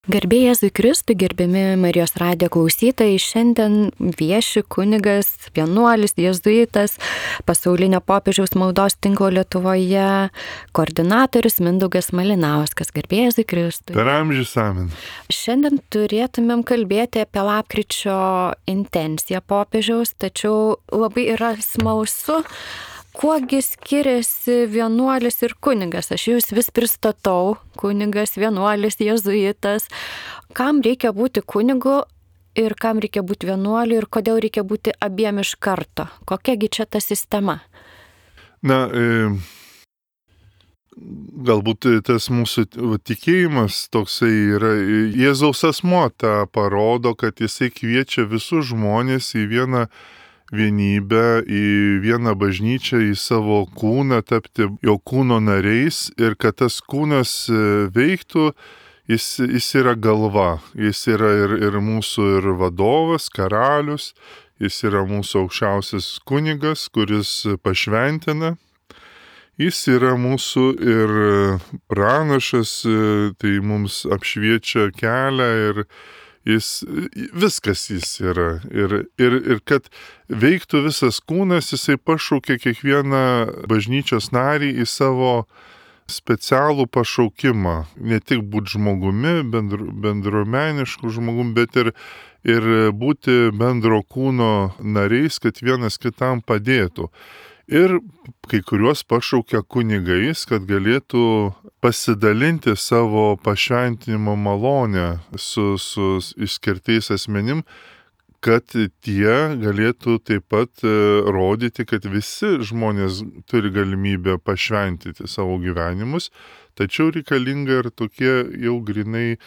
Garbė Jėzui Kristui, gerbiami Marijos radijo klausytojai, šiandien vieši kunigas, vienuolis, jėzuitas, pasaulinio popiežiaus maldos tinklo Lietuvoje, koordinatorius Mindaugas Malinauskas. Garbė Jėzui Kristui. Per amžius amen. Šiandien turėtumėm kalbėti apie lapkričio intenciją popiežiaus, tačiau labai yra smalsu, kuogi skiriasi vienuolis ir kunigas. Aš jūs vis pristatau, kunigas, vienuolis, jėzuitas. Kam reikia būti kunigu ir kam reikia būti vienuoliu ir kodėl reikia būti abiem iš karto? Kokiagi čia ta sistema? Galbūt tas mūsų tikėjimas toksai yra, Jėzaus asmuo tą parodo, kad jisai kviečia visus žmonės į vieną vienybę, į vieną bažnyčią, į savo kūną, tapti jo kūno nariais ir kad tas kūnas veiktų, jis yra galva, jis yra ir mūsų ir vadovas, karalius, jis yra mūsų aukščiausias kunigas, kuris pašventina, jis yra mūsų ir pranašas, tai mums apšviečia kelią ir viskas jis yra. Ir kad veiktų visas kūnas, jisai pašaukia kiekvieną bažnyčios narį į savo specialų pašaukimą. Ne tik būti žmogumi, bendruomenišku žmogumi, bet ir būti bendro kūno nariais, kad vienas kitam padėtų. Ir kai kuriuos pašaukia kunigais, kad galėtų pasidalinti savo pašventinimo malonę su išskirtais asmenim, kad tie galėtų taip pat rodyti, kad visi žmonės turi galimybę pašventyti savo gyvenimus, tačiau reikalinga ir tokie jau grinai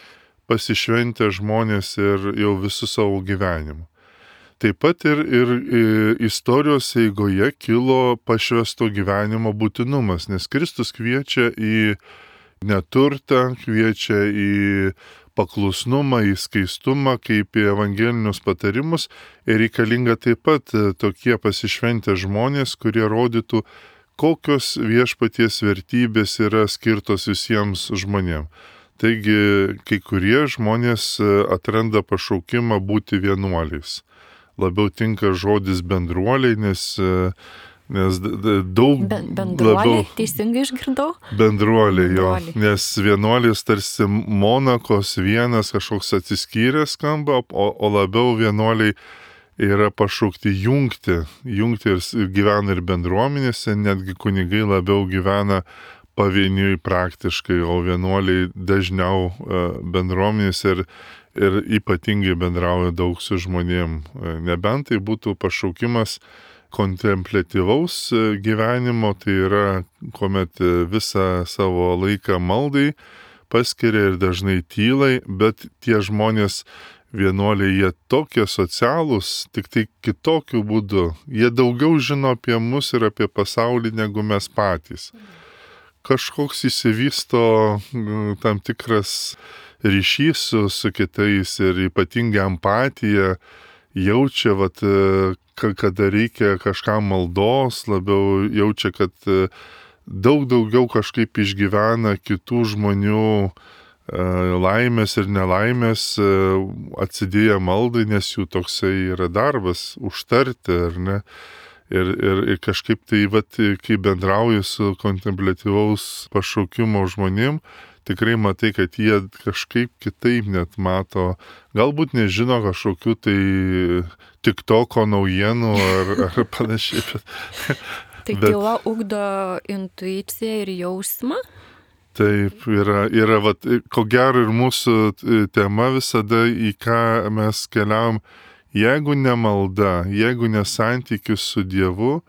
pasišventę žmonės ir jau visų savo gyvenimu. Taip pat ir istorijos eigoje kilo pašvęsto gyvenimo būtinumas, nes Kristus kviečia į neturtą, kviečia į paklusnumą, į skaistumą, kaip į evangelinius patarimus ir reikalinga taip pat tokie pasišventę žmonės, kurie rodytų, kokios viešpaties vertybės yra skirtos visiems žmonėms. Taigi, kai kurie žmonės atranda pašaukimą būti vienuoliais. Labiau tinka žodis bendruoliai, nes daug bendruoliai, teisingai išgirdau? Bendruoliai, jo, nes vienuolis tarsi monakos vienas kažkoks atsiskyręs skamba, o labiau vienuoliai yra pašaukti jungti ir gyvena ir bendruomenėse, netgi kunigai labiau gyvena pavieniui praktiškai, o vienuoliai dažniau bendruomenėse ir ypatingai bendrauja daug su žmonėm. Nebent tai būtų pašaukimas kontempliatyvaus gyvenimo, tai yra, kuomet visą savo laiką maldai paskiria ir dažnai tylai, bet tie žmonės vienuoliai, jie tokie socialūs, tik tai kitokiu būdu. Jie daugiau žino apie mus ir apie pasaulį negu mes patys. Kažkoks įsivysto tam tikras ryšys su kitais ir ypatinga empatija, jaučia, kada reikia kažkam maldos, labiau jaučia, kad daug daugiau kažkaip išgyvena kitų žmonių laimės ir nelaimės atsidėję maldai, nes jų toksai yra darbas užtarti, ar ne? Ir kažkaip tai, kai bendrauji su kontempliatyvaus pašaukimo žmonėm, tikrai matai, kad jie kažkaip kitaip net mato, galbūt nežino kažkokių tai TikToko naujienų ar panašiai. Tai tyla ugdo intuiciją ir jausmą? Taip, yra ko gero ir mūsų tema visada, į ką mes keliavom, jeigu ne malda, jeigu ne santykis su Dievu,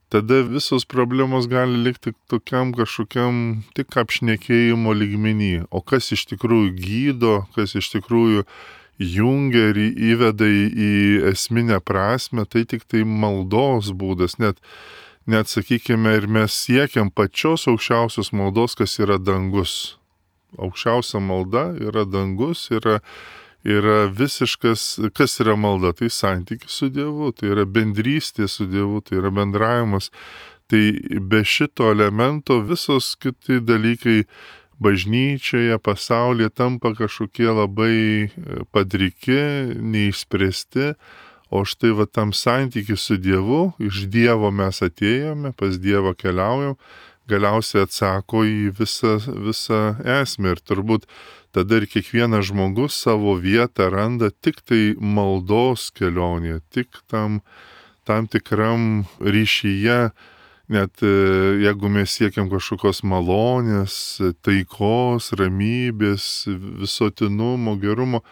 tada visos problemos gali likti tokiam kažkokiam tik apšnekėjimo lygmenį. O kas iš tikrųjų gydo, kas iš tikrųjų jungia ir įveda į esminę prasme, tai tik tai maldos būdas. Net sakykime, ir mes siekiam pačios aukščiausios maldos, kas yra dangus. Aukščiausia malda yra dangus, yra visiškas, kas yra malda, tai santykis su Dievu, tai yra bendrystė su Dievu, tai yra bendravimas. Tai be šito elemento visos kiti dalykai bažnyčioje, pasaulyje tampa kažkokie labai padriki, neišspręsti, o štai va tam santykiu su Dievu, iš Dievo mes atėjome, pas Dievą keliaujam, galiausiai atsako į visą esmę ir turbūt tada ir kiekvienas žmogus savo vietą randa tik tai maldos kelionėje, tik tam tikram ryšyje, net jeigu mes siekiam kažkokios malonės, taikos, ramybės, visotinumo, gerumo,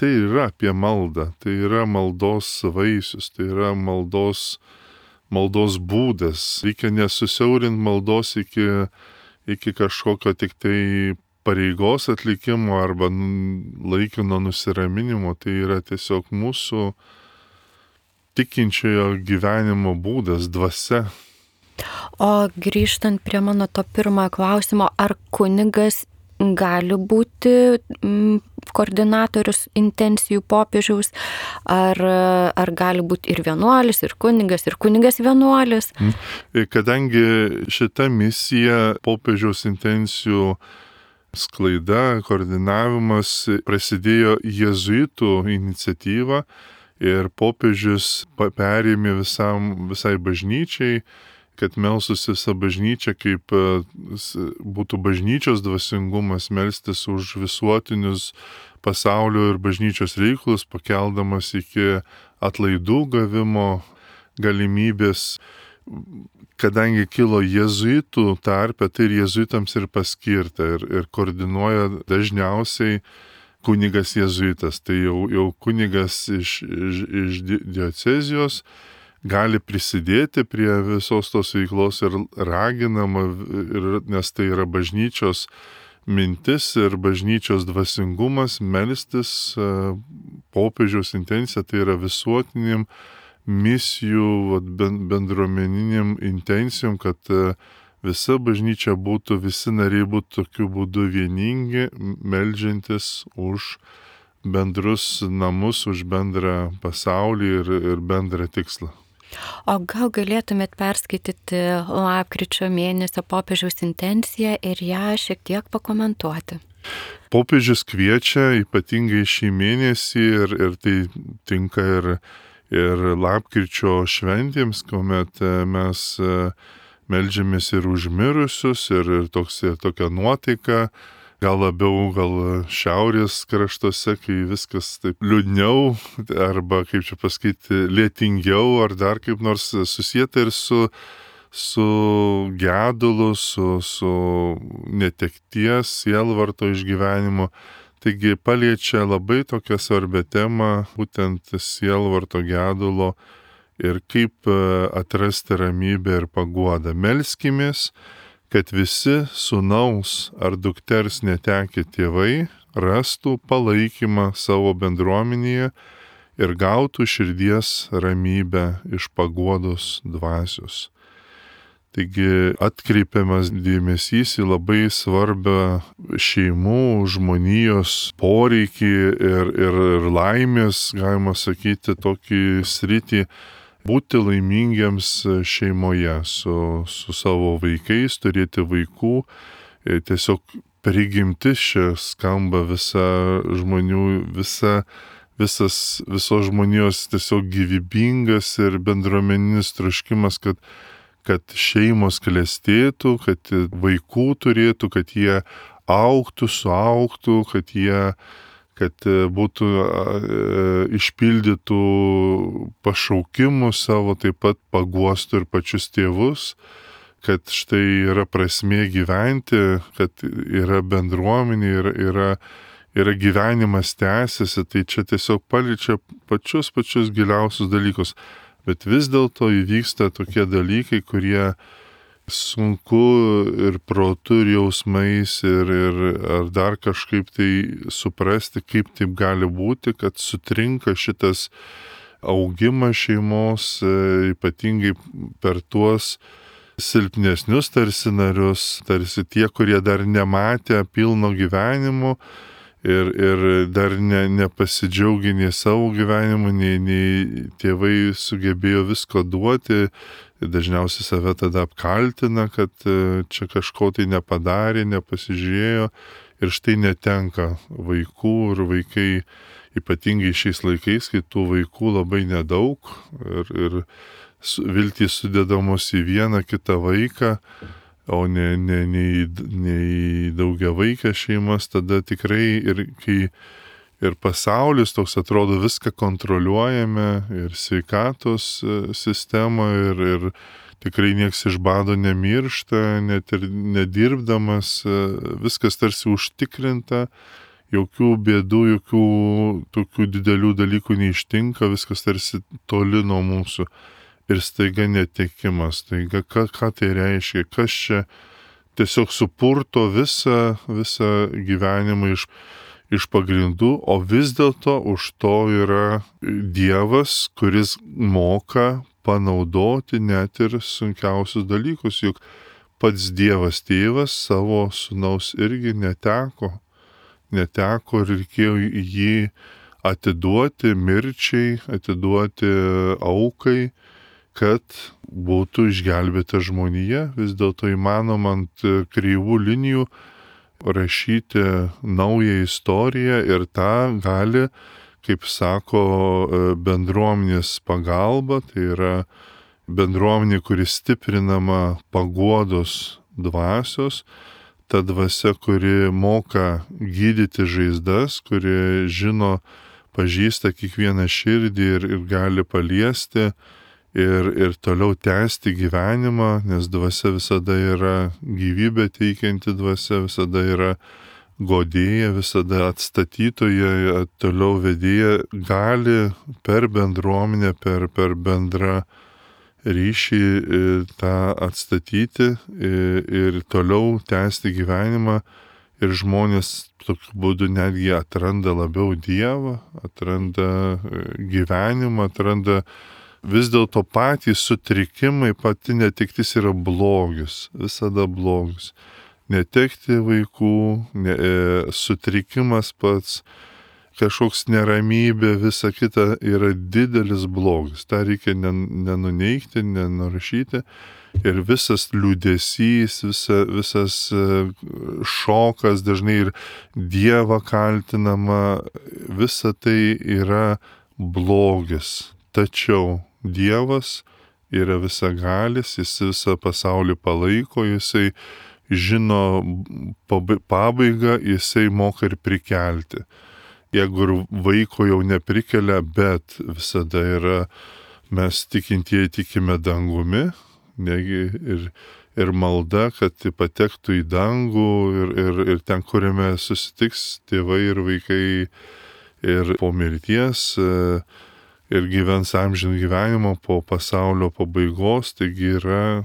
tai yra apie maldą, tai yra maldos vaisius, tai yra maldos būdas. Reikia nesusiaurinti maldos iki kažkokio tik tai pareigos atlikimo arba laikino nusiraminimo, tai yra tiesiog mūsų tikinčiojo gyvenimo būdas, dvasia. O grįžtant prie mano to pirmojo klausimo, ar kunigas gali būti koordinatorius intencijų popiežiaus, ar gali būti ir vienuolis, ir kunigas vienuolis? Kadangi šita misija popiežiaus intencijų sklaida, koordinavimas prasidėjo jėzuitų iniciatyva ir popiežius perėmė visai bažnyčiai, kad melstųsi visa bažnyčia, kaip būtų bažnyčios dvasingumas, melstis už visuotinius pasaulio ir bažnyčios reikalus, pakeldamas iki atlaidų gavimo galimybės. Kadangi kilo jėzuitų tarpe, tai ir jėzuitams ir paskirta ir koordinuoja dažniausiai kunigas jėzuitas. Tai jau kunigas iš diocezijos gali prisidėti prie visos tos veiklos ir raginama, nes tai yra bažnyčios mintis ir bažnyčios dvasingumas melstis popiežiaus intencija, tai yra visuotiniam misijų, bendruomeniniam intencijom, kad visa bažnyčia būtų, visi nariai būtų tokiu būdu vieningi, meldžiantis už bendrus namus, už bendrą pasaulį ir bendrą tikslą. O gal galėtumėt perskaityti lapkričio mėnesio popiežiaus intenciją ir ją šiek tiek pakomentuoti? Popiežius kviečia ypatingai šį mėnesį ir tai tinka ir lapkričio šventėms, kuomet mes meldžiamės ir už mirusius ir tokia nuotaika. Gal labiau šiaurės kraštuose, kai viskas taip liūdniau, arba, kaip čia pasakyti, lėtingiau, ar dar kaip nors susieta ir su gedulu, su netekties, sielvarto išgyvenimu. Taigi paliečia labai tokią svarbę temą, būtent sielvarto gedulo ir kaip atrasti ramybę ir paguodą. Melskimės, kad visi sūnaus ar dukters netekę tėvai rastų palaikymą savo bendruomenėje ir gautų širdies ramybę iš paguodos dvasios. Taigi atkreipiamas dėmesys į labai svarbią šeimų, žmonijos poreikį ir laimės, galima sakyti, tokį sritį, būti laimingiems šeimoje su savo vaikais, turėti vaikų. Tiesiog prigimtis čia skamba visos žmonijos tiesiog gyvybingas ir bendruomeninis troškimas, kad šeimos klestėtų, kad vaikų turėtų, kad jie augtų, suaugtų, kad būtų išpildytų pašaukimų savo, taip pat paguostų ir pačius tėvus, kad štai yra prasmė gyventi, kad yra bendruomenė, yra gyvenimas tęsiasi, tai čia tiesiog paliečia pačius giliausius dalykus. Bet vis dėlto įvyksta tokie dalykai, kurie sunku ir protu, ir jausmais, ar dar kažkaip tai suprasti, kaip taip gali būti, kad sutrinka šitas augimas šeimos, ypatingai per tuos silpnesnius tarsi narius, tarsi tie, kurie dar nematė pilno gyvenimo ir dar nepasidžiaugia nei savo gyvenimu, nei tėvai sugebėjo visko duoti, Ir dažniausiai save tada apkaltina, kad čia kažko tai nepadarė, nepasižiūrėjo ir štai netenka vaikų ir vaikai, ypatingai šiais laikais, kai tų vaikų labai nedaug ir viltys sudedamos į vieną kitą vaiką, o ne į daugiavaikę šeimas, tada tikrai ir kai ir pasaulis toks atrodo viską kontroliuojame, ir sveikatos sistema, ir tikrai nieks iš bado nemiršta, net ir nedirbdamas, viskas tarsi užtikrinta, jokių bėdų, jokių tokių didelių dalykų neištinka, viskas tarsi toli nuo mūsų. Ir staiga netekimas, staiga ką tai reiškia, kas čia tiesiog supurto visą gyvenimą iš pagrindų, o vis dėlto už to yra Dievas, kuris moka panaudoti net ir sunkiausius dalykus, juk pats Dievas tėvas savo sūnaus irgi neteko ir reikėjo jį atiduoti mirčiai, atiduoti aukai, kad būtų išgelbėta žmonija. Vis dėlto įmanoma ant kreivų linijų rašyti naują istoriją ir tą gali, kaip sako, bendruomenės pagalba, tai yra bendruomenė, kuri stiprinama paguodos dvasios, ta dvasia, kuri moka gydyti žaizdas, kuri žino, pažįsta kiekvieną širdį ir gali paliesti ir toliau tęsti gyvenimą, nes dvasia visada yra gyvybę teikianti dvasia, visada yra godėja, visada atstatytoja, toliau vedėja, gali per bendruomenę, per bendrą ryšį tą atstatyti ir toliau tęsti gyvenimą. Ir žmonės tokiu būdu netgi atranda labiau Dievą, atranda gyvenimą, atranda vis dėlto patys sutrikimai, pati netektis yra blogis, visada blogis. Netekti vaikų, sutrikimas pats, kažkoks neramybė, visa kita yra didelis blogis. Ta reikia nenuneigti, nenurašyti. Ir visas liūdesys, visas šokas, dažnai ir Dievą kaltinama, visa tai yra blogis. Tačiau Dievas yra visagalis, jis visą pasaulį palaiko, jisai žino pabaigą, jisai moka ir prikelti. Jeigu ir vaiko jau neprikelia, bet visada yra, mes tikintieji tikime dangumi, negi ir malda, kad patektų į dangų ir ten, kuriame susitiks tėvai ir vaikai ir po mirties, ir gyvens amžinų gyvenimo po pasaulio pabaigos, taigi yra,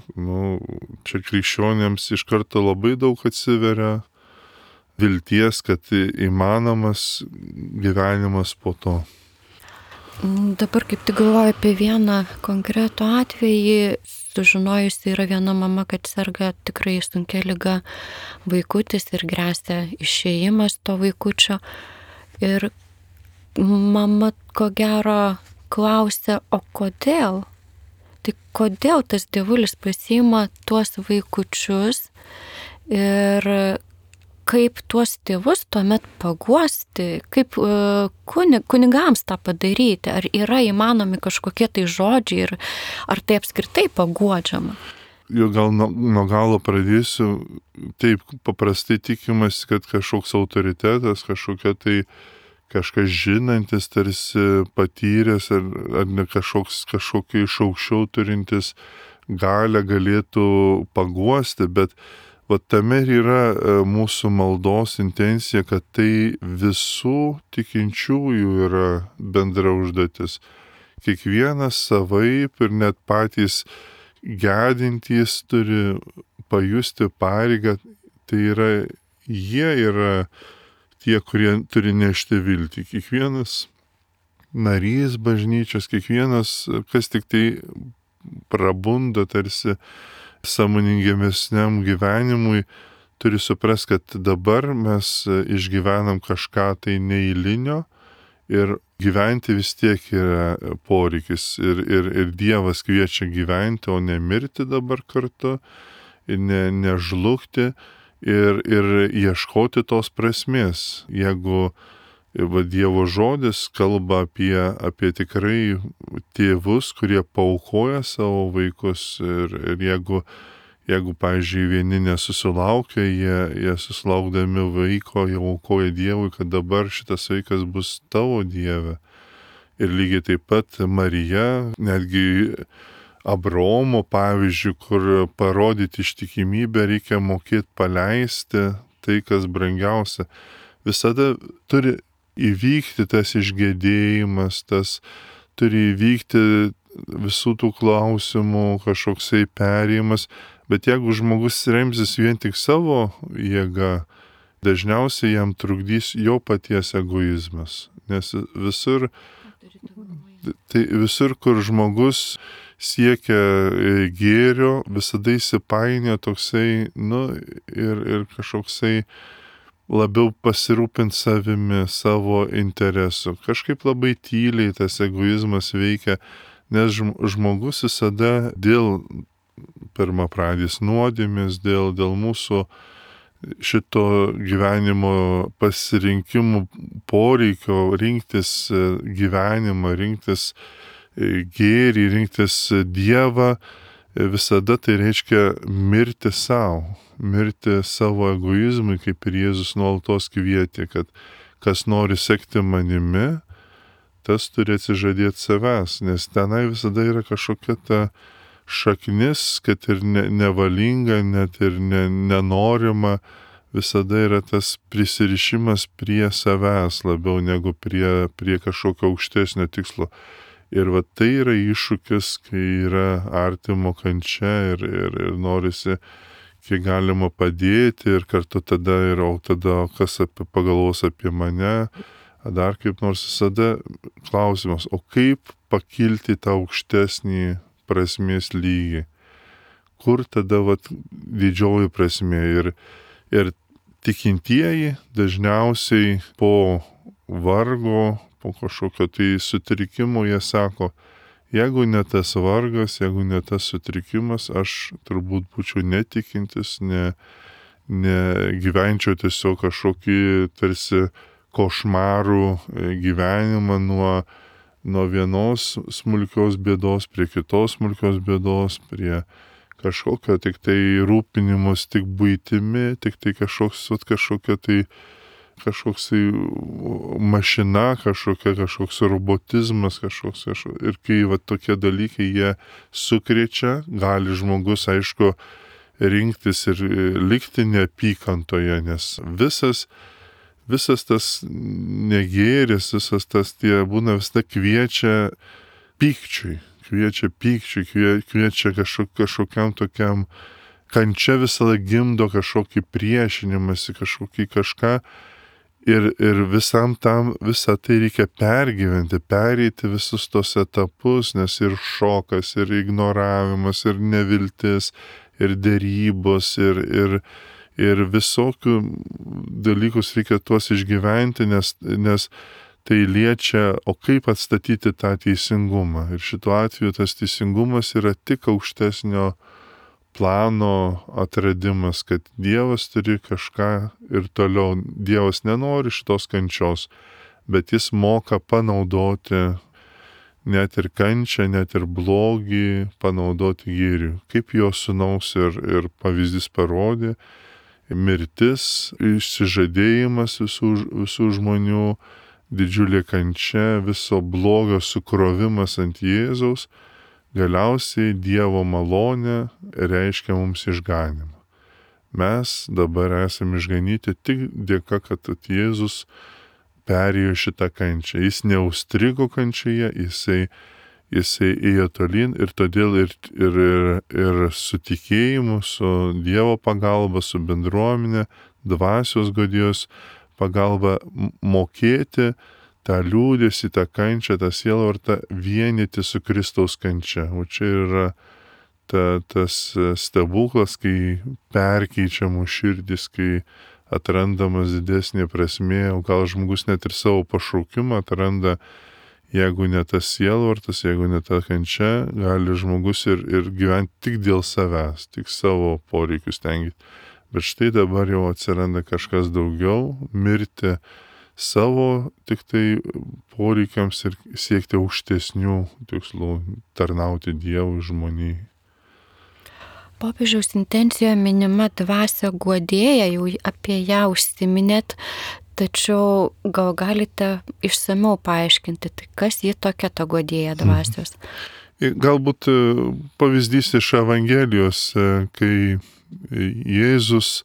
čia krikščionėms iš karto labai daug atsiveria vilties, kad įmanomas gyvenimas po to. Dabar kaip tik galvoju apie vieną konkretų atvejį, sužinojusi yra viena mama, kad serga tikrai sunkia liga vaikutis ir gresia išėjimas to vaikučio. Ir mama ko gero klausia, o kodėl? Tai kodėl tas dievulis pasiima tuos vaikučius ir kaip tuos tėvus tuomet paguosti, kaip kunigams tą padaryti, ar yra įmanomi kažkokie tai žodžiai ir ar tai apskritai paguodžiama? Jau gal nuo galo pradėsiu, taip paprastai tikimas, kad kažkoks autoritetas, kažkas žinantis, tarsi patyręs ar ne kažkokį iš aukščiau turintis galę galėtų paguosti, bet tame ir yra mūsų maldos intencija, kad tai visų tikinčiųjų yra bendra užduotis. Kiekvienas savaip ir net patys gedintys turi pajusti pareigą, tai yra, jie yra tie, kurie turi nešti viltį. Kiekvienas narys bažnyčios, kiekvienas, kas tik tai prabunda tarsi sąmoningesniam gyvenimui, turi suprasti, kad dabar mes išgyvenam kažką tai neeilinio ir gyventi vis tiek yra poreikis ir Dievas kviečia gyventi, o ne mirti dabar kartu, ir nežlugti ir ieškoti tos prasmės. Jeigu Dievo žodis kalba apie tikrai tėvus, kurie paaukoja savo vaikus ir jeigu, pavyzdžiui, vieni nesusilaukia, jie susilaukdami vaiko jau aukoja Dievui, kad dabar šitas vaikas bus tavo Dieve. Ir lygiai taip pat Marija, netgi Abraomo pavyzdžiui, kur parodyti ištikimybę reikia mokėti paleisti tai, kas brangiausia. Visada turi įvykti tas išgėdėjimas, tas turi įvykti visų tų klausimų kažkoksai perėjimas, bet jeigu žmogus remsis vien tik savo jėga, dažniausiai jam trukdys jo paties egoizmas. Nes visur, kur žmogus siekia gėrio, visada įsipainio toksai, ir kažkoksai labiau pasirūpinti savimi, savo interesu. Kažkaip labai tyliai tas egoizmas veikia, nes žmogus visada dėl pirmapradės nuodėmės, dėl mūsų šito gyvenimo pasirinkimų poreikio rinktis gyvenimą, rinktis gėrį, rinktis Dievą, visada tai reiškia mirti savo. Mirti savo egoizmui, kaip ir Jėzus nuolatos kvietė, kad kas nori sekti manimi, tas turi atsižadėti savęs, nes tenai visada yra kažkokia ta šaknis, kad ir nevalinga, net ir nenorima, visada yra tas prisirišimas prie savęs labiau negu prie kažkokio aukštesnio tikslo. Ir tai yra iššūkis, kai yra artimo kančia ir norisi kiek galima padėti ir kartu tada kas pagalvos apie mane, dar kaip nors visada klausimas, o kaip pakilti tą aukštesnį prasmės lygį? Kur tada didžioji prasmė? Ir tikintieji dažniausiai po vargo, po kažkokio tai sutrikimo jie sako, jeigu ne tas vargas, jeigu ne tas sutrikimas, aš turbūt būčiau netikintis, gyvenčiau tiesiog kažkokį tarsi košmarų gyvenimą nuo vienos smulkios bėdos prie kitos smulkios bėdos, prie kažkokio tik tai rūpinimus tik buitimi, tik tai kažkoks mašina, kažkoks robotizmas, ir kai tokie dalykai jie sukrečia, gali žmogus, aišku, rinktis ir likti neapykantoje, nes visas tas negėris, visas tas būna visada kviečia pykčiui, kviečia kažkokiam tokiam kančia visada gimdo kažkokį priešinimąsi, kažką. Ir visam tam, visą tai reikia pergyventi, pereiti visus tos etapus, nes ir šokas, ir ignoravimas, ir neviltis, ir dėrybos, ir visokių dalykus reikia tuos išgyventi, nes tai liečia, o kaip atstatyti tą teisingumą. Ir šituo atveju tas teisingumas yra tik aukštesnio plano atradimas, kad Dievas turi kažką ir toliau. Dievas nenori šitos kančios, bet jis moka panaudoti net ir kančią, net ir blogį, panaudoti gėriui. Kaip jo sūnaus ir pavyzdys parodė, mirtis, išsižadėjimas visų žmonių, didžiulė kančia, viso blogio sukrovimas ant Jėzaus, galiausiai Dievo malonė reiškia mums išganimą. Mes dabar esame išganyti tik dėka, kad Jėzus perėjo šitą kančią. Jis neužstrigo kančioje, jisai ėjo tolyn ir todėl ir su tikėjimu, su Dievo pagalba, su bendruomenė, dvasios godijos pagalba mokėti tą liūdėsį, tą kančią, tą sielvartą vienyti su Kristaus kančia. O čia yra tas stebuklas, kai perkeičiamų širdis, kai atrandamas didesnė prasmė, o gal žmogus net ir savo pašaukimą atranda jeigu ne tas sielvartas, jeigu ne ta kančia, gali žmogus ir gyventi tik dėl savęs, tik savo poreikius tenkyti. Bet štai dabar jau atsiranda kažkas daugiau, mirti savo tik tai poreikiams ir siekti aukštesnių tikslų, tarnauti Dievui, žmonijai. Popiežiaus intencijoje minima dvasia guodėja, jau apie ją užsiminėt, tačiau gal galite išsamiau paaiškinti, tai kas ji tokia ta guodėja dvasios? Galbūt pavyzdys iš Evangelijos, kai Jėzus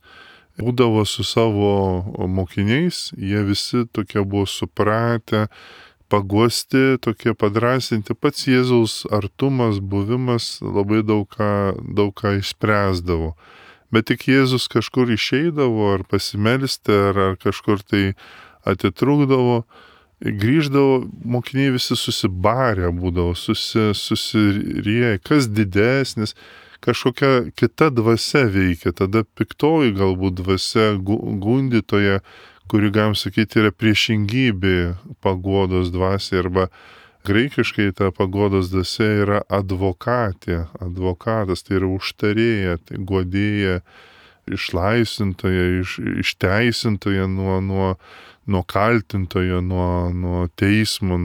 būdavo su savo mokiniais, jie visi tokie buvo supratę, paguosti, tokie padrasinti. Pats Jėzaus artumas, buvimas labai daug ką išspręsdavo. Bet tik Jėzus kažkur išeidavo, ar pasimelsti, ar kažkur tai atitrūkdavo, grįždavo, mokiniai visi susibarę būdavo, susirieję, kas didesnis, kažkokia kita dvasia veikia, tada piktoji galbūt dvasia gundytoja, kuri, galim sakyti, yra priešingybė paguodos dvasiai, arba graikiškai ta paguodos dvasia yra advokatė, advokatas, tai yra užtarėja, tai guodėja, išlaisvintoja, išteisintoja nuo kaltintojo, nuo teismo,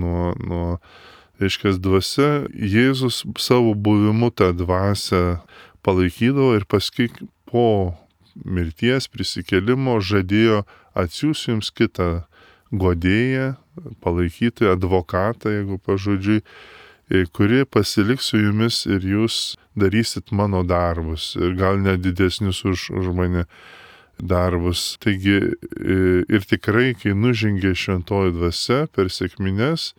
reiškia, dvasia. Jėzus savo buvimu tą dvasią palaikydavo ir paskui po mirties prisikėlimo žadėjo atsiųs jums kitą guodėją, palaikyti advokatą, jeigu pažodžiui, kuri pasiliks su jumis ir jūs darysit mano darbus ir gal net didesnius už mane darbus. Taigi ir tikrai, kai nužengė šventoji dvasia per sekmines,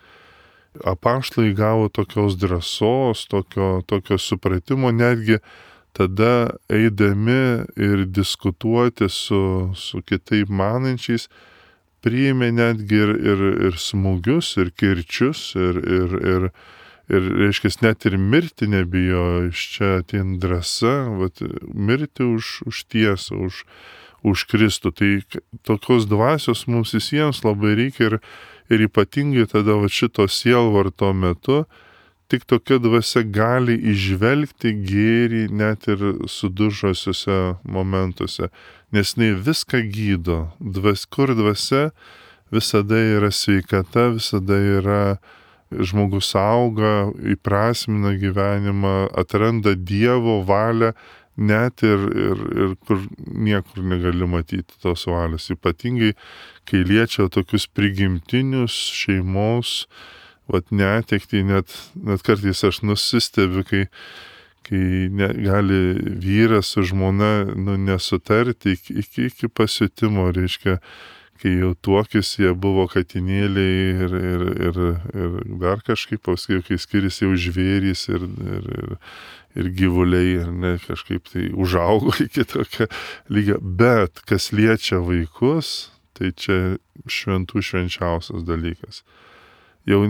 apaštalai gavo tokios drąsos, tokio supratimo, netgi tada eidami ir diskutuoti su kitaip manančiais, priėmė netgi ir smūgius, ir kirčius, ir reiškia, net ir mirti nebijo, iš čia ateina drąsa, mirti už tiesą, už Kristų. Tai tokios dvasios mums visiems labai reikia ir ypatingai tada šito sielvarto metu, tik tokia dvasia gali įžvelgti gėrį net ir sudužusiuose momentuose, nes jinai viską gydo. Kur dvasia, visada yra sveikata, visada yra žmogus auga, įprasmina gyvenimą, atranda Dievo valią, net ir kur niekur negali matyti tos valios. Ypatingai, kai liečia tokius prigimtinius šeimos, netektį, net kartais aš nusistebiu, kai gali vyras su žmona nesutarti iki pasiutimo, reiškia, kai jau tuokis jie buvo katinėliai ir dar kažkaip, paskui, kai skiriasi jau žvėrys ir gyvuliai, ir ne kažkaip tai užaugo iki tokio lygio. Bet kas liečia vaikus, tai čia šventų švenčiausias dalykas. Jau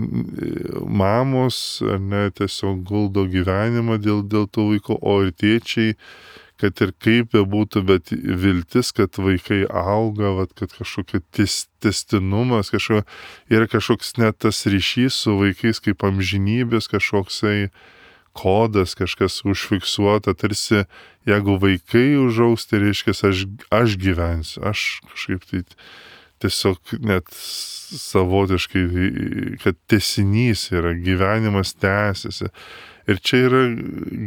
mamos, tiesiog guldo gyvenimą dėl tų vaikų, o ir tėčiai, kad ir kaip bebūtų, bet viltis, kad vaikai auga, kad kažkokia tęstinumas, yra kažkoks net tas ryšys su vaikais kaip amžinybės, kažkoksai kodas, kažkas užfiksuota, tarsi jeigu vaikai užaugs, tai reiškia, aš gyvensiu, aš kažkaip tai tiesiog net savotiškai, kad tęsinys yra, gyvenimas tęsiasi. Ir čia yra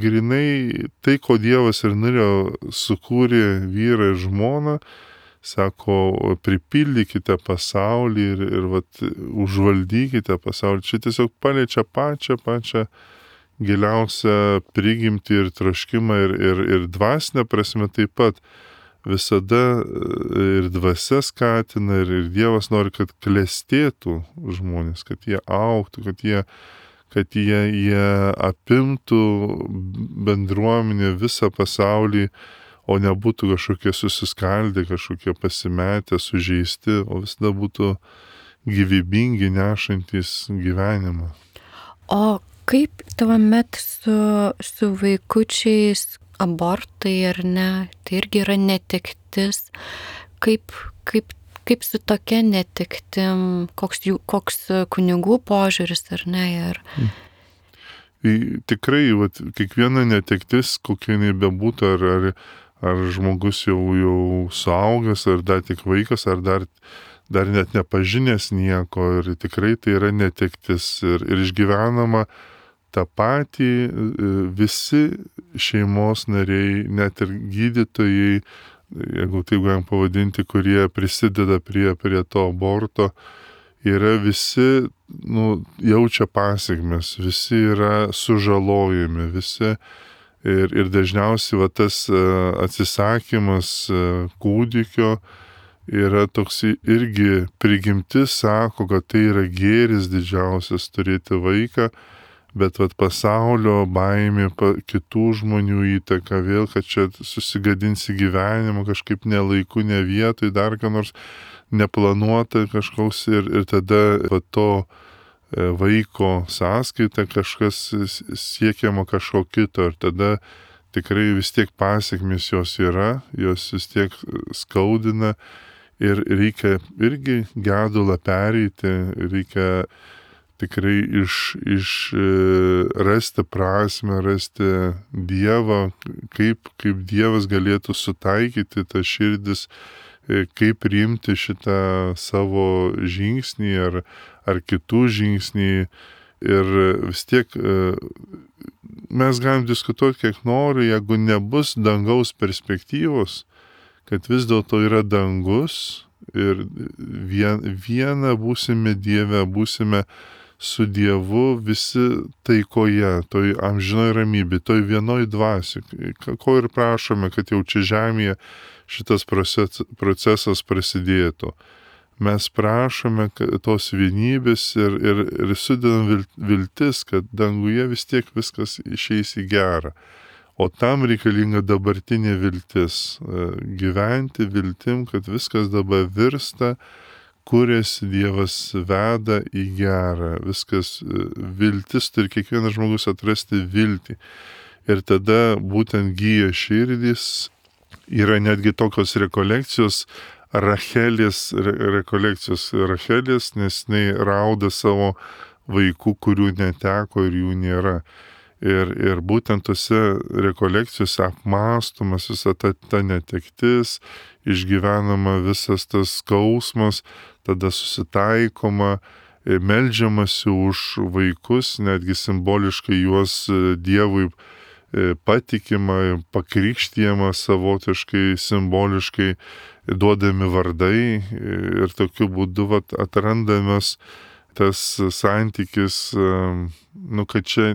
grinai tai, ko Dievas ir norėjo, sukūrė vyrą ir žmoną, sako, pripildykite pasaulį ir užvaldykite pasaulį. Čia tiesiog paliečia pačią giliausią prigimtį ir troškimą ir dvasinę prasme taip pat. Visada ir dvasia skatina ir Dievas nori, kad klestėtų žmonės, kad jie augtų, kad jie apimtų bendruomenę, visą pasaulį, o nebūtų kažkokie susiskaldę, kažkokie pasimetę, sužeisti, o visada būtų gyvybingi, nešantis gyvenimą. O kaip tuomet su vaikučiais, abortai ar ne, tai irgi yra netektis, kaip kaip su tokia netektim, koks kunigų požiūris ar ne. Tikrai, kiekviena netektis, kokia jinai bebūtų, ar žmogus jau suaugęs, ar dar tik vaikas, ar dar net nepažinęs nieko, ir tikrai tai yra netektis ir išgyvenama tą patį visi šeimos nariai, net ir gydytojai, jeigu taip galim pavadinti, kurie prisideda prie to aborto, yra visi, jaučia pasiekmes, visi yra sužalojami, visi. Ir dažniausiai tas atsisakymas kūdikio yra toks irgi prigimtis, sako, kad tai yra gėris didžiausias turėti vaiką, bet pasaulio baimė, kitų žmonių įtaka vėl, kad čia susigadinsi gyvenimą kažkaip nelaiku, ne vietoj, dar ką nors neplanuota kažkoks ir tada to vaiko sąskaita kažkas siekiama kažko kito ir tada tikrai vis tiek pasiekmes jos yra, jos vis tiek skaudina ir reikia irgi gedulą pereiti, reikia tikrai rasti prasmę, rasti Dievą, kaip Dievas galėtų sutaikyti tą širdis, kaip priimti šitą savo žingsnį ar kitų žingsnį. Ir vis tiek mes galim diskutuoti kiek nori, jeigu nebus dangaus perspektyvos, kad vis dėlto yra dangus ir viena būsime Dieve, būsime su Dievu visi taikoje, toj amžinoj ramybė, toj vienoj dvasioj, ko ir prašome, kad jau čia žemėje šitas procesas prasidėtų. Mes prašome tos vienybės ir sudedam viltis, kad danguje vis tiek viskas išeis į gerą. O tam reikalinga dabartinė viltis. Gyventi viltim, kad viskas dabar virsta, kuriasi Dievas veda į gerą. Viskas viltis turi kiekvienas žmogus atrasti viltį. Ir tada būtent gyja širdys. Yra netgi tokios rekolekcijos, Rachelės rekolekcijos Rachelės, nes jinai rauda savo vaikų, kurių neteko ir jų nėra. Ir būtent tose rekolekcijose apmąstomas visa ta netektis, išgyvenama visas tas skausmas, tada susitaikoma, meldžiamasi už vaikus, netgi simboliškai juos Dievui patikima, pakrikštijama savotiškai, simboliškai duodami vardai ir tokiu būdu atrandamas tas santykis, kad čia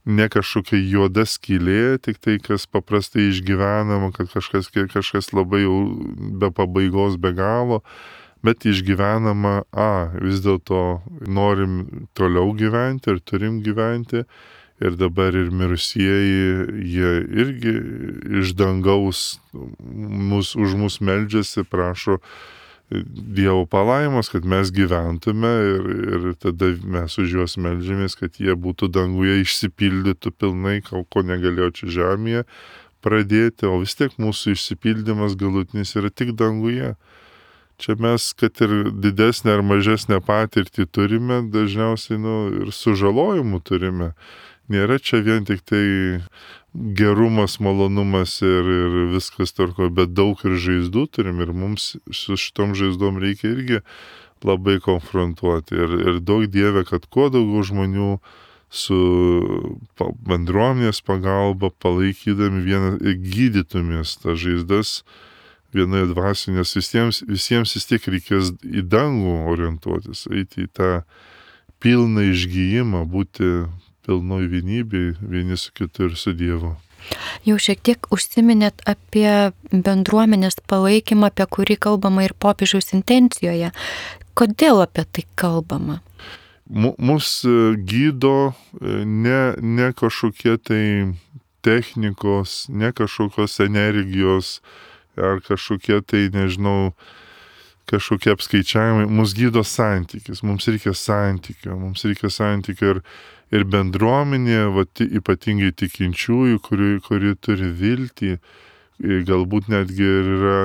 ne kažkokia juoda skylė, tik tai, kas paprastai išgyvenama, kad kažkas labai jau be pabaigos, be galo, bet išgyvenama, vis dėlto norim toliau gyventi ir turim gyventi. Ir dabar ir mirusieji, jie irgi iš dangaus už mus meldžiasi, prašo Dievo palaimos, kad mes gyventume ir tada mes už juos meldžiamės, kad jie būtų danguje, išsipildytų pilnai, ko negalėjo čia žemėje pradėti, o vis tiek mūsų išsipildymas galutinis yra tik danguje. Čia mes, kad ir didesnę ar mažesnę patirtį turime, dažniausiai ir sužalojimų turime. Nėra čia vien tik tai gerumas, malonumas ir viskas tvarko, bet daug ir žaizdų turim ir mums su šitom žaizdom reikia irgi labai konfrontuoti. Ir daug Dieve, kad kuo daugiau žmonių su bendruomenės pagalba palaikydami vieną, gydytumės tas žaizdas vienoje dvasioje, nes visiems vis tiek reikės į dangų orientuotis, eiti į tą pilną išgyjimą, būti pilnoj vienybėj vieni su kitu ir su Dievu. Jau šiek tiek užsiminėt apie bendruomenės palaikymą, apie kurį kalbama ir popiežiaus intencijoje. Kodėl apie tai kalbama? Mus gydo ne kažkokie tai technikos, ne kažkokios energijos ar kažkokie tai, nežinau, kažkokie apskaičiavimai. Mus gydo santykis, mums reikia santykio ir bendruomenė, ypatingai tikinčiųjų, kuri turi viltį, galbūt netgi ir yra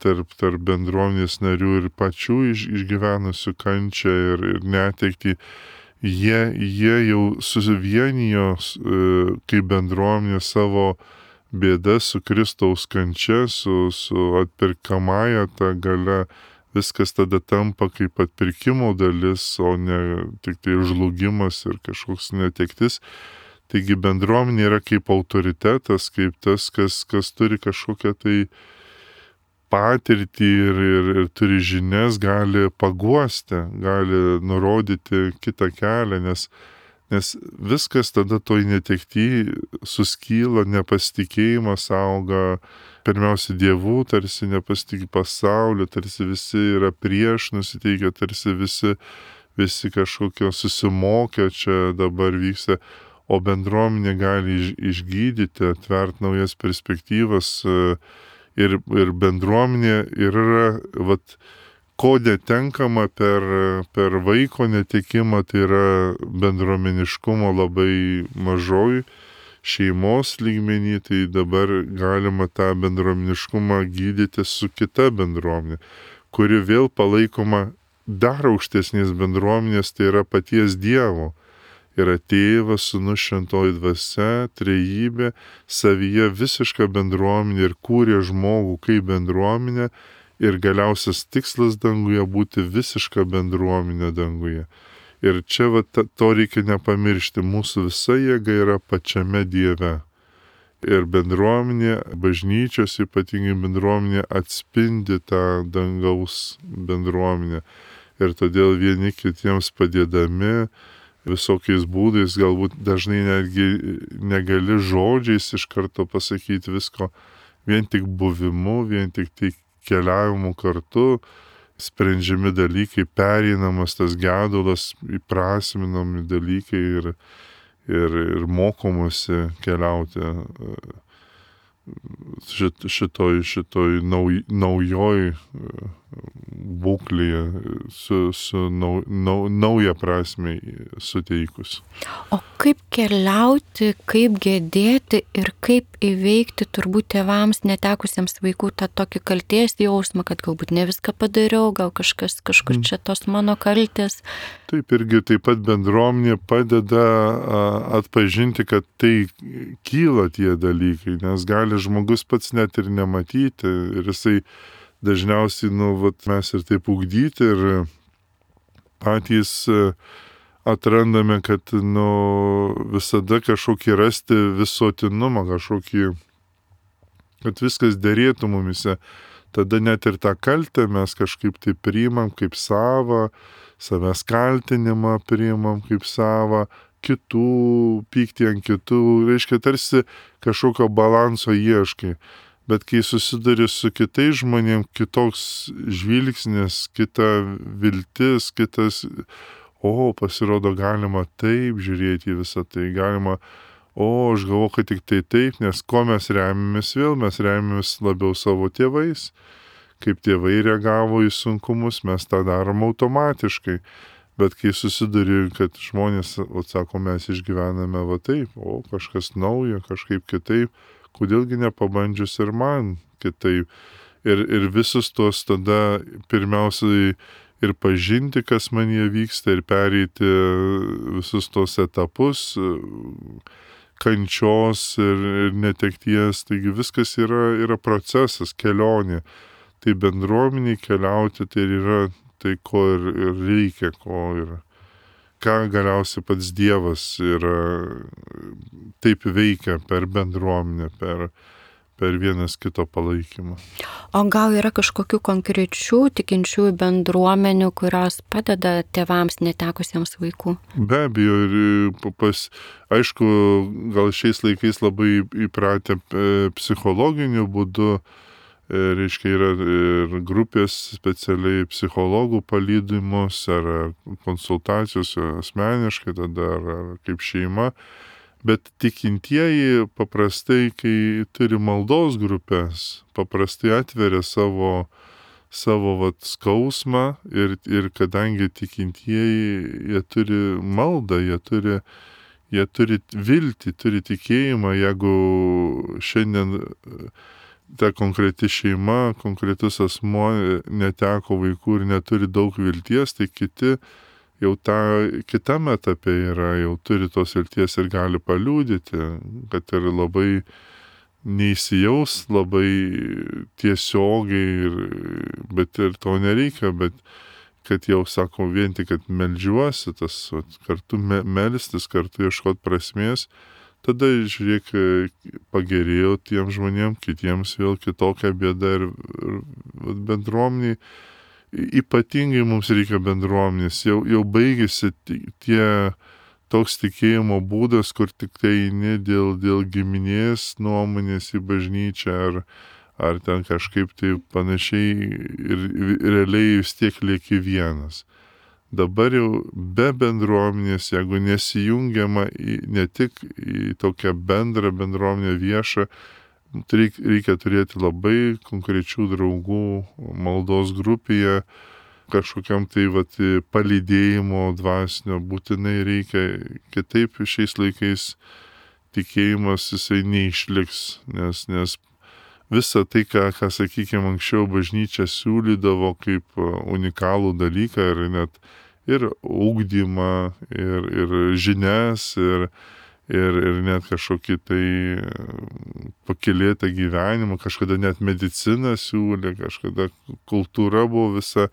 tarp bendruomenės narių ir pačių išgyvenusių kančią ir netektį. Jie jau susivienijo kaip bendruomenė savo bėdas su Kristaus kančia, su atpirkamąja ta galia. Viskas tada tampa kaip atpirkimo dalis, o ne tik tai žlugimas ir kažkoks netektis. Taigi bendruomenė yra kaip autoritetas, kaip tas, kas turi kažkokią tai patirtį ir turi žinias, gali paguosti, gali nurodyti kitą kelią, nes viskas tada toj netekty suskyla, nepasitikėjimas auga, pirmiausia Dievu, tarsi nepasitikė pasauliu, tarsi visi yra prieš nusiteikę, tarsi visi kažkokio susimokę čia dabar vyksta, o bendruomenė gali išgydyti, atvert naujas perspektyvas ir bendruomenė yra, ko netenkama per vaiko netekimą, tai yra bendruomeniškumo labai mažoj šeimos lygmenį, tai dabar galima tą bendruomeniškumą gydyti su kita bendruomenė, kuri vėl palaikoma dar aukštesnės bendruomenės, tai yra paties Dievo. Yra Tėvas, Sūnus, Šventoji Dvasia, Trejybė, savyje visiška bendruomenė ir kūrė žmogų kaip bendruomenė ir galiausias tikslas danguje būti visiška bendruomenė danguje. Ir čia to reikia nepamiršti, mūsų visa jėga yra pačiame Dieve. Ir bendruomenė, bažnyčios ypatingai bendruomenė atspindi tą dangaus bendruomenę. Ir todėl vieni kitiems padėdami, visokiais būdais, galbūt dažnai netgi negali žodžiais iš karto pasakyti visko, vien tik buvimu, vien tik tai keliavimu kartu, sprendžiami dalykai, pereinamas tas gedulas, įprasminami dalykai ir mokomasi keliauti šitoj naujoj būklėje su naują prasme suteikus. O kaip keliauti, kaip gedėti ir kaip įveikti turbūt tėvams netekusiems vaikų tą tokį kaltės jausmą, kad galbūt ne viską padariau, gal kažkur čia tos mano kaltės. Taip, irgi taip pat bendruomenė padeda atpažinti, kad tai kyla tie dalykai, nes gali žmogus pats net ir nematyti ir jisai dažniausiai, mes ir taip ugdyti ir patys atrandame, kad, visada kažkokį rasti visuotinumą, kad viskas derėtų mumise. Tada net ir tą kaltę mes kažkaip tai priimam kaip savą, savęs kaltinimą priimam kaip savą, kitų, pyktį ant kitų, reiškia tarsi kažkokio balanso ieškai. Bet kai susiduri su kitais žmonėm, kitoks žvilgsnis, kita viltis, kitas, pasirodo galima taip žiūrėti į visą tai, galima, aš galvoju, kad tik tai taip, nes ko mes remiamės vėl, mes remiamės labiau savo tėvais. Kaip tėvai reagavo į sunkumus, mes tą darom automatiškai. Bet kai susiduri, kad žmonės, sako, mes išgyvename taip, kažkas naujo, kažkaip kitaip, kodėlgi nepabandžius ir man kitaip. Ir visus tuos tada pirmiausiai ir pažinti, kas manyje vyksta, ir pereiti visus tuos etapus kančios ir netekties. Taigi viskas yra procesas, kelionė. Tai bendruomeniai keliauti, tai yra tai, ko ir reikia, ką galiausiai pats Dievas yra taip veikia per bendruomenę, per vienas kito palaikymą. O gal yra kažkokių konkrečių tikinčiųjų bendruomenių, kurios padeda tėvams netekusiems vaikų? Be abejo, ir aišku, gal šiais laikais labai įpratę psichologiniu būdu, reiškia, yra ir grupės specialiai psichologų palydimus, ar konsultacijos asmeniškai, tada ar kaip šeima. Bet tikintieji paprastai, kai turi maldos grupės, paprastai atveria savo skausmą ir kadangi tikintieji, jie turi maldą, jie turi viltį, turi tikėjimą, jeigu šiandien ta konkreti šeima, konkretus asmuo neteko vaikų ir neturi daug vilties, tai kiti jau kitame etape yra, jau turi tos vilties ir gali paliūdyti, kad ir labai neįsijaus labai tiesiogiai, bet ir to nereikia, bet kad jau sako vien tik, kad meldžiuosi, tas kartu melstis, kartu ieškot prasmės, tada žiūrėk, pagerėjo tiem žmonėm, kitiems vėl kitokia bėda ir bendruomeniai. Ypatingai mums reikia bendruomenės, jau baigėsi toks tikėjimo būdas, kur tik tai eini dėl giminės nuomonės į bažnyčią ar ten kažkaip tai panašiai ir realiai vis tiek lieki vienas. Dabar jau be bendruomenės, jeigu nesijungiama ne tik į tokią bendrą bendruomenę viešą, reikia turėti labai konkrečių draugų maldos grupėje, kažkokiam tai palydėjimo dvasinio būtinai reikia, kitaip šiais laikais tikėjimas jisai neišliks, nes visa tai, ką sakykime, anksčiau bažnyčia siūlydavo kaip unikalų dalyką ir ugdymą, ir žinias, ir net kažkokį tai pakylėtą gyvenimą, kažkada net mediciną siūlė, kažkada kultūra buvo visa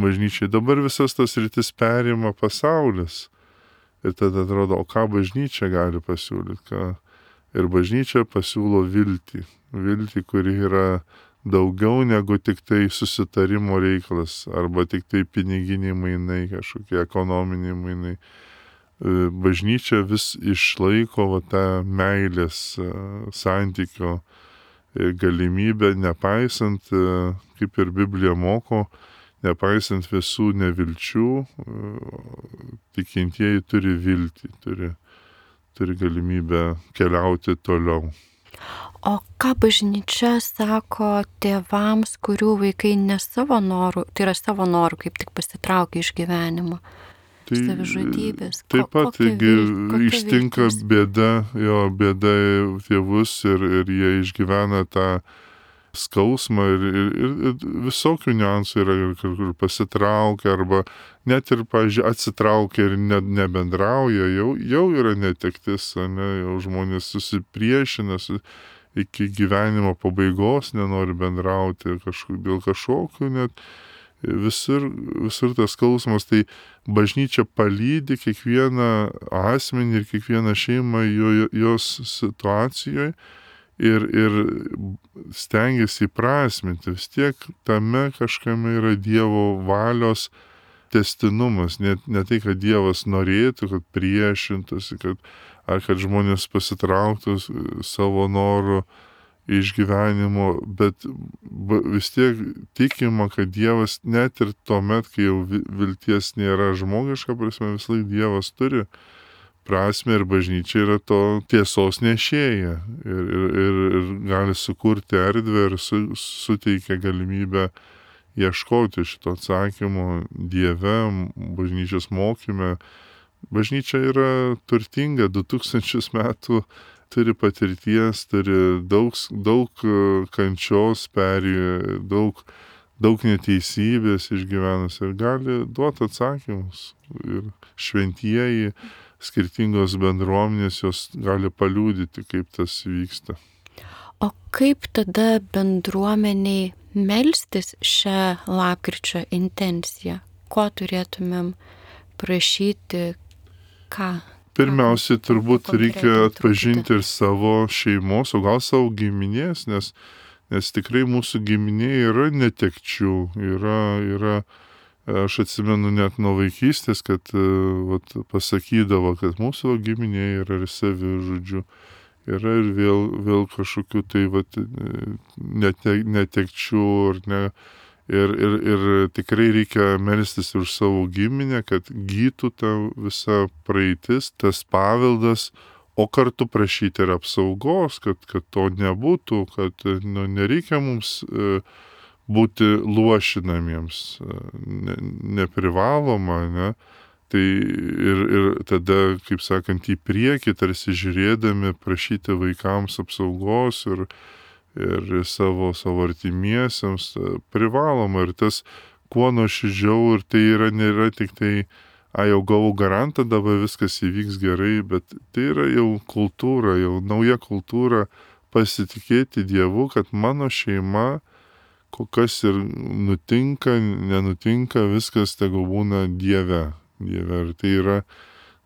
bažnyčiai. Dabar visas tas rytis perima pasaulis. Ir tada atrodo, o ką bažnyčia gali pasiūlyti? Ir bažnyčia pasiūlo viltį. Viltį, kuri yra daugiau negu tik tai susitarimo reikalas, arba tik tai piniginiai mainai, kažkokie ekonominiai mainai. Bažnyčia vis išlaiko tą meilės santykio galimybę, nepaisant, kaip ir Biblija moko, nepaisant visų nevilčių, tikintieji turi viltį, turi galimybę keliauti toliau. O ką bažnyčia sako tėvams, kurių vaikai ne savo norų, tai yra savo norų, kaip tik pasitraukia iš gyvenimo? Savižudybės. Taip pat, ištinka bėda tėvus ir jie išgyvena tą skausmą ir visokių niuansų yra, kur pasitraukia arba net ir, pavyzdžiui, atsitraukia ir nebendrauja, jau yra netektis, jau žmonės susipriešina iki gyvenimo pabaigos, nenori bendrauti dėl kažkokių net. Visur tas skausmas, tai bažnyčia palydi kiekvieną asmenį ir kiekvieną šeimą jos situacijoje ir stengiasi įprasminti. Vis tiek tame kažkame yra Dievo valios tęstinumas, ne tai, kad Dievas norėtų, kad priešintųsi, kad žmonės pasitrauktų savo noru iš gyvenimo, bet vis tiek tikima, kad Dievas net ir tuomet, kai jau vilties nėra žmogiška prasme, vis laik Dievas turi prasme ir bažnyčia yra to tiesos nešėja ir gali sukurti erdvę ir suteikia galimybę ieškoti šito atsakymo Dieve, bažnyčios mokyme. Bažnyčia yra turtinga, 2000 metų turi patirties, turi daug kančios perėję, daug neteisybės išgyvenus ir gali duoti atsakymus. Ir šventieji, skirtingos bendruomenės, jos gali paliudyti, kaip tas vyksta. O kaip tada bendruomeniai melstis šią lapkričio intenciją? Ko turėtumėm prašyti, ką? Pirmiausia, turbūt reikia atpažinti ir savo šeimos, o gal savo giminės, nes tikrai mūsų giminėje yra netekčių, yra, aš atsimenu net nuo vaikystės, kad pasakydavo, kad mūsų giminėje yra ir savižudžių, yra ir vėl kažkokių tai netekčių ar ne. Ir tikrai reikia melstis už savo giminę, kad gytų ta visa praeitis, tas paveldas, o kartu prašyti ir apsaugos, kad to nebūtų, kad nereikia mums būti luošinamiems, neprivaloma, ne? Tai ir tada, kaip sakant, į priekį tarsi žiūrėdami prašyti vaikams apsaugos ir ir savo artimiesiems privaloma. Ir tas kuo nuoširdžiau, ir tai nėra tik tai, jau gavau garantą, dabar viskas įvyks gerai, bet tai yra jau kultūra, jau nauja kultūra pasitikėti Dievu, kad mano šeima, kas ir nutinka, nenutinka, viskas tegu būna Dieve. Ir tai yra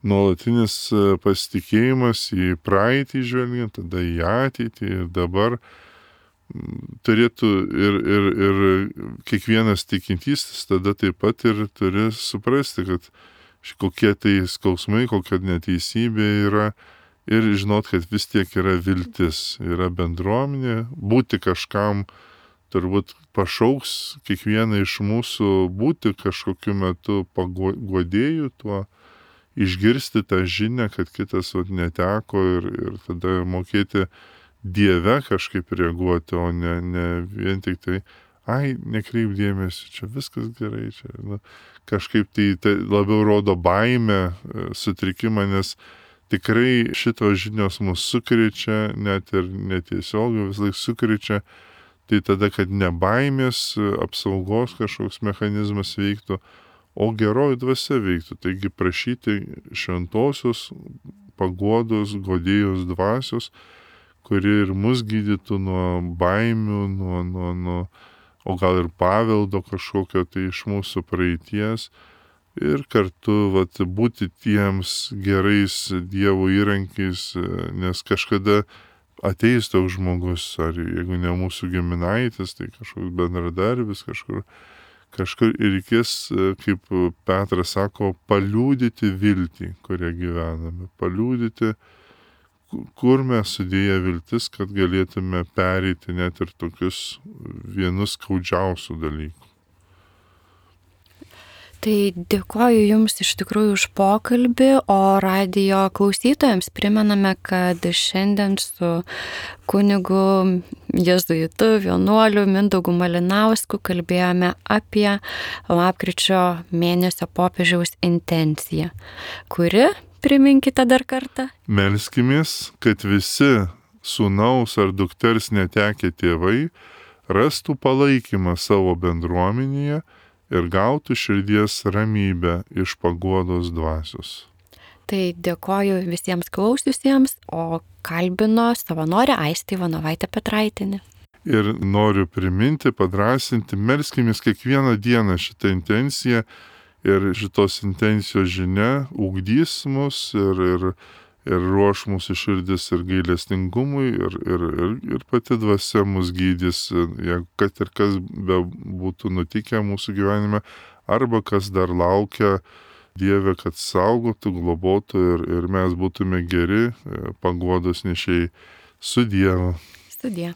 nuolatinis pasitikėjimas į praeitį žvelgiant, tada į ateitį ir dabar turėtų ir kiekvienas tikintysis tada taip pat ir turi suprasti, kad kokie tai skausmai, kokia neteisybė yra ir žinot, kad vis tiek yra viltis, yra bendruomenė, būti kažkam turbūt pašauks kiekvieną iš mūsų būti kažkokiu metu paguodėjų tuo, išgirsti tą žinią, kad kitas neteko ir tada mokėti Dieve kažkaip reaguoti, o ne vien tik tai, nekreip dėmesį, čia viskas gerai, čia kažkaip tai labiau rodo baimę, sutrikimą, nes tikrai šitos žinios mus sukrečia, net ir netiesiogiai vis laik sukrečia, tai tada, kad ne baimės apsaugos kažkoks mechanizmas veiktų, o geroji dvasia veiktų. Taigi prašyti šventosios paguodos, guodėjos dvasios, kuri ir mus gydytų nuo baimių, nuo o gal ir paveldo kažkokio tai iš mūsų praeities ir kartu būti tiems gerais Dievo įrankiais, nes kažkada ateis toks žmogus, ar jeigu ne mūsų giminaitis, tai kažkoks bendradarbis kažkur ir reikės, kaip Petras sako, paliūdyti viltį, kurią gyvename, paliūdyti, kur mes sudėję viltis, kad galėtume pereiti net ir tokius vienus skaudžiausių dalykų. Tai dėkoju Jums iš tikrųjų už pokalbį, o radijo klausytojams primename, kad šiandien su kunigu jėzuitu, vienuoliu Mindaugu Malinausku kalbėjome apie lapkričio mėnesio popiežiaus intenciją, kuri, priminkite dar kartą, melskimės, kad visi sūnaus ar dukters netekę tėvai rastų palaikymą savo bendruomenėje ir gautų širdies ramybę iš paguodos dvasios. Tai dėkoju visiems klausiusiems, o kalbino savanorė Aistė Ivanovaitė Petraitienė. Ir noriu priminti, padrasinti, melskimės kiekvieną dieną šitą intenciją ir šitos intencijos žinia ugdys mus ir ruoš mūsų širdis ir gailestingumui ir pati dvasia mus gydys, kad ir kas be būtų nutikę mūsų gyvenime, arba kas dar laukia Dieve, kad saugotų, globotų ir mes būtume geri paguodos nešėjai. Su Dievu. Sudie.